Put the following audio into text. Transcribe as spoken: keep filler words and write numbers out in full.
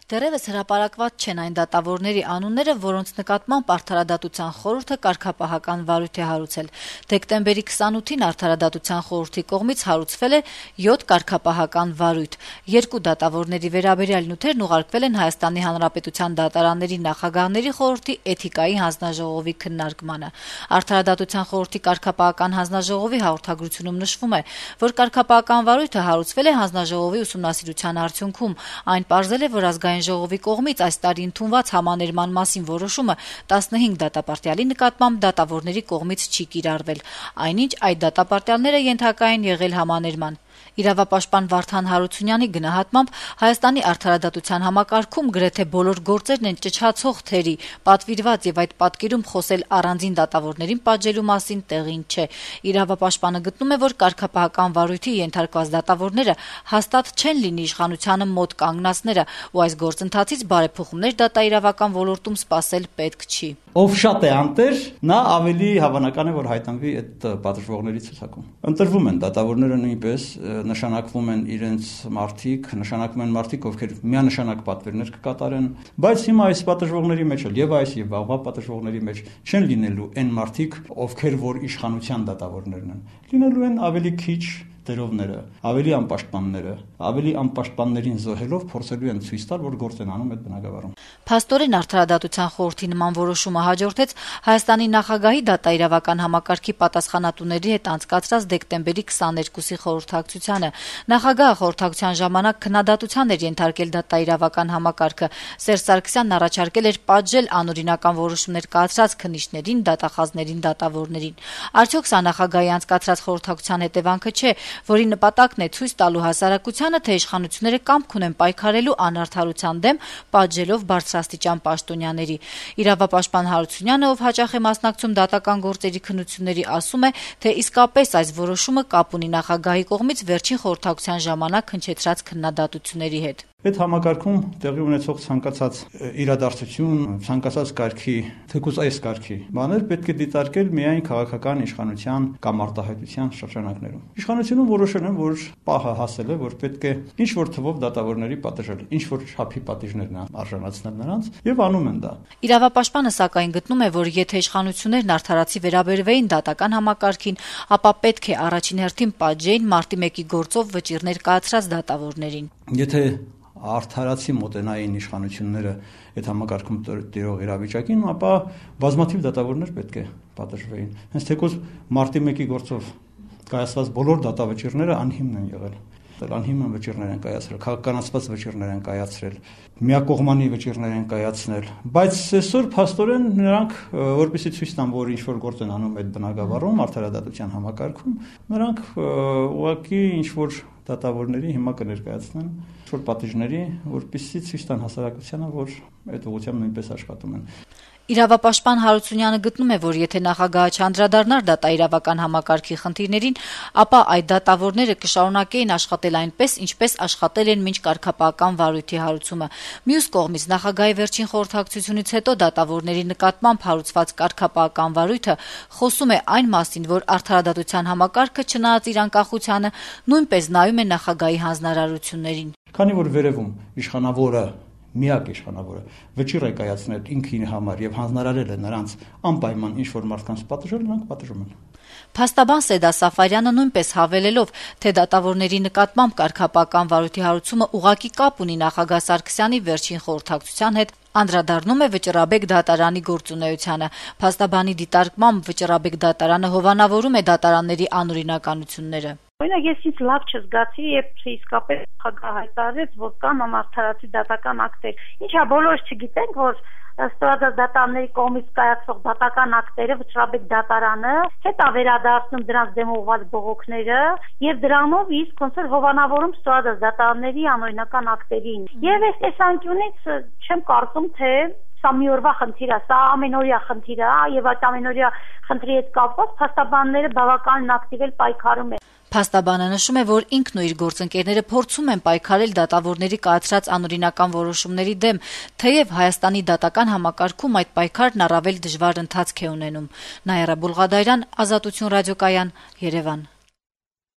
Դեռևս հրապարակված չեն այն դատավորների անունները, որոնց նկատմամբ Արդարադատության խորհուրդը կարգապահական վարույթ է հարուցել։ Դեկտեմբերի քսանութին Արդարադատության խորհրդի կողմից հարուցվել է յոթ կարգապահական վարույթ։ Երկու դատավորների վերաբերյալ նյութերն ուղարկվել են Հայաստանի Հանրապետության դատարանների նախագահների խորհրդի էթիկայի հանձնաժողովի քննարկմանը։ Արդարադատության խորհրդի կարգապահական հանձնաժողովի հաղորդագրությունում նշվում է, որ կարգապահական վարույթը հարուցվել է հանձնաժողովի ուսումնասիրության արդյունքում։ Այն պարզել է, որ ազգային ժողովի կողմից այս տարի ընդունված համաներման մասին որոշումը տասնհինգ դատապարտյալի նկատմամբ դատավորների կողմից չի կիրառվել, այնինչ այդ դատապարտյալները ենթակա են եղել համաներման։ Իրավապաշտպան Վարդան Հարությունյանի գնահատմամբ Հայաստանի արդարադատության համակարգում գրեթե բոլոր գործերն են ճչացող թերի, պատվիրված եւ այդ պատկերում խոսել առանձին դատավորներին պատժելու մասին տեղին չէ։ Իրավապաշտպանը գտնում է, որ կարգապահական վարույթի ենթարկված դատավորները հաստատ չեն լինի իշխանությանը մոտ կանգնածները, ու այս գործընթացից բարեփոխումներ դատաիրավական ոլորտում սպասել պետք չի։ Ով շատ է անտեր, նա ավելի հավանական է, որ հայտնվի այդ պատժվողների ցուցակում։ Ընտրվում են դատավորները նույնպես, նշանակվում են իրենց մարդիկ, նշանակվում են մարդիկ, ովքեր միանշանակ պատվերներ կկատարեն, բայց հիմա այս պատժվողների մեջ էլ եւ այս եւ վաղվա պատժվողների մեջ չեն լինելու այն մարդիկ, ովքեր որ իշխանության դատավորներն են։ Լինելու են ավելի քիչ դերովները, ավելի անպաշտպանները, ավելի անպաշտպաններին զոհելով փորձելու են ցույց տալ, որ գործ են անում այդ բնակավարում։ Փաստորեն Արդարադատության խորհրդի նման որոշումը հաջորդեց Հայաստանի նախագահի դատաիրավական համակարգի պատասխանատուների հետ անցկացրած դեկտեմբերի քսաներկուսի խորհրդակցությանը։ Նախագահը խորհրդակցության ժամանակ քննադատության էր ենթարկել դատաիրավական համակարգը։ Սերժ Սարգսյանն առաջարկել էր պատժել անօրինական որոշումներ կայացրած քննիչներին, դատախազներին, դատավորներին։ Արդյոք սա նախագահի անցկացրած խորհրդակցության հետևանքը չէ, որի նպատակն է ցույց տալու հասարակությանը, թե իշխանությունները կամք ունեն պայքարելու անարդարության դեմ, պատժելով բարձրաստիճան պաշտոնյաների։ Իրավապաշտպան Հարությունյանը, ով հաճախ է մասնակցում դատական գործերի քննությունների, ասում է, թե իսկապես այս որոշումը կապ ունի նախագահի կողմից վերջին խորհրդակցության ժամանակ հնչեցրած քննադատությունների հետ։ Այդ համակարգում տեղի ունեցող ցանկացած իրադարձություն, ցանկացած կարգի, թեկուզ այս կարգի բաներ պետք է դիտարկել միայն քաղաքական իշխանության կամ արտահայտության շրջանակներում։ Իշխանությունում որոշել են, որ պահը հասել է, որ պետք է ինչ որ թվով դատավորների պատժել, ինչ որ չափի պատիժներն արժանացնել նրանց, եւ անում են դա։ Իրավապաշտպանը սակայն գտնում է, որ եթե իշխանություններն արդարացի վերաբերվեին դատական համակարգին, ապա պետք է առաջին հերթին պատժեին մարտի մեկի գործով վճիռներ կայացրած դատավորներին։ Եթե արդարացի մոտենային իշխանությունները այդ համակարգում տիրող իրավիճակին, ապա բազմաթիվ դատավորներ պետք է պատժվեին։ Հենց թեկուզ մարտի մեկի գործով կայացված բոլոր դատավճիռները անհիմն են եղել։ Անհիմն վճիռներ են կայացրել, քաղաքականացված վճիռներ են կայացրել, միակողմանի վճիռներ են կայացնել, բայց այսօր փաստորեն նրանք, որպեսզի ցույց տան, որ ինչ որ գործ են անում այդ բնակավարում, արդարադատության համակարգում, նրանք ուղղակի ինչ որ դատավորների հիմա կներկայացնեն ինչ-որ պատիժների, որպեսզի ցույց տան հասարակությանը, որ այդ ուղղությամբ նույնպես աշխատում են։ Իրավապաշտպան Հարությունյանը գտնում է, որ եթե նախագահը չանդրադառնար դատաիրավական համակարգի խնդիրներին, ապա այդ դատավորները կշարունակեին աշխատել այնպես, ինչպես աշխատել են մինչ կարգապահական վարույթի հարուցումը։ Մյուս կողմից նախագահի վերջին խորհրդակցությունից հետո դատավորների նկատմամբ հարուցված կարգապահական վարույթը խոսում է այն մասին, որ արդարադատության համակարգը, չնայած իր անկախությանը, նույնպես նայում է նախագահի հանձնարարություններին։ Քանի որ վերևում իշխանավորը միակ իշխանավորը վճիռ է կայացնել ինքին համար եւ հանձնարարել է նրանց անպայման ինչ որ մարդկանց պատժել, նրանք պատժում են։ Փաստաբան Սեդա Սաֆարյանը նույնպես հավելելով, թե դատավորների նկատմամբ կարգապահական վարույթի հարուցումը ուղղակի կապ ունի նախագահ Սարգսյանի վերջին խորհրդակցության հետ, անդրադառնում է Վճռաբեկ դատարանի գործունեությանը։ Փաստաբանի դիտարկմամբ Վճռաբեկ դատարանը հովանավորում է դատարանների անօրինականությունները։ Օրինակ, ես ինձ լավ չզգացի, երբ իսկապես նախագահը հայտարարեց, որ կան անարդարացի դատական ակտեր։ Ինչա բոլորս չգիտենք, որ ստորացած դատարանների կողմից կայացող դատական ակտերը Վճռաբեկ դատարանը հետ է վերադարձնում դրանց դեմ ուղղված բողոքները եւ դրանով իսկ ոնց որ հովանավորում ստորացած դատարանների անօրինական ակտերին։ Եվ այս տեսանկյունից չեմ կարծում, թե սա մի օրվա խնդիր է, սա ամենօրյա խնդիր է եւ այդ ամենօրյա խնդրի հետ կապված փաստաբանները բավականին ակտիվ պայքարում են։ Փաստաբանը նշում է, որ ինքն ու իր գործընկերները փորձում են պայքարել դատավորների կայացրած անօրինական որոշումների դեմ, թեև Հայաստանի դատական համակարգում այդ պայքարն առավել դժվար ընթացք է ունենում։ Նաիրա Բուլղադարյան, Ազատություն ռադիոկայան, Երևան։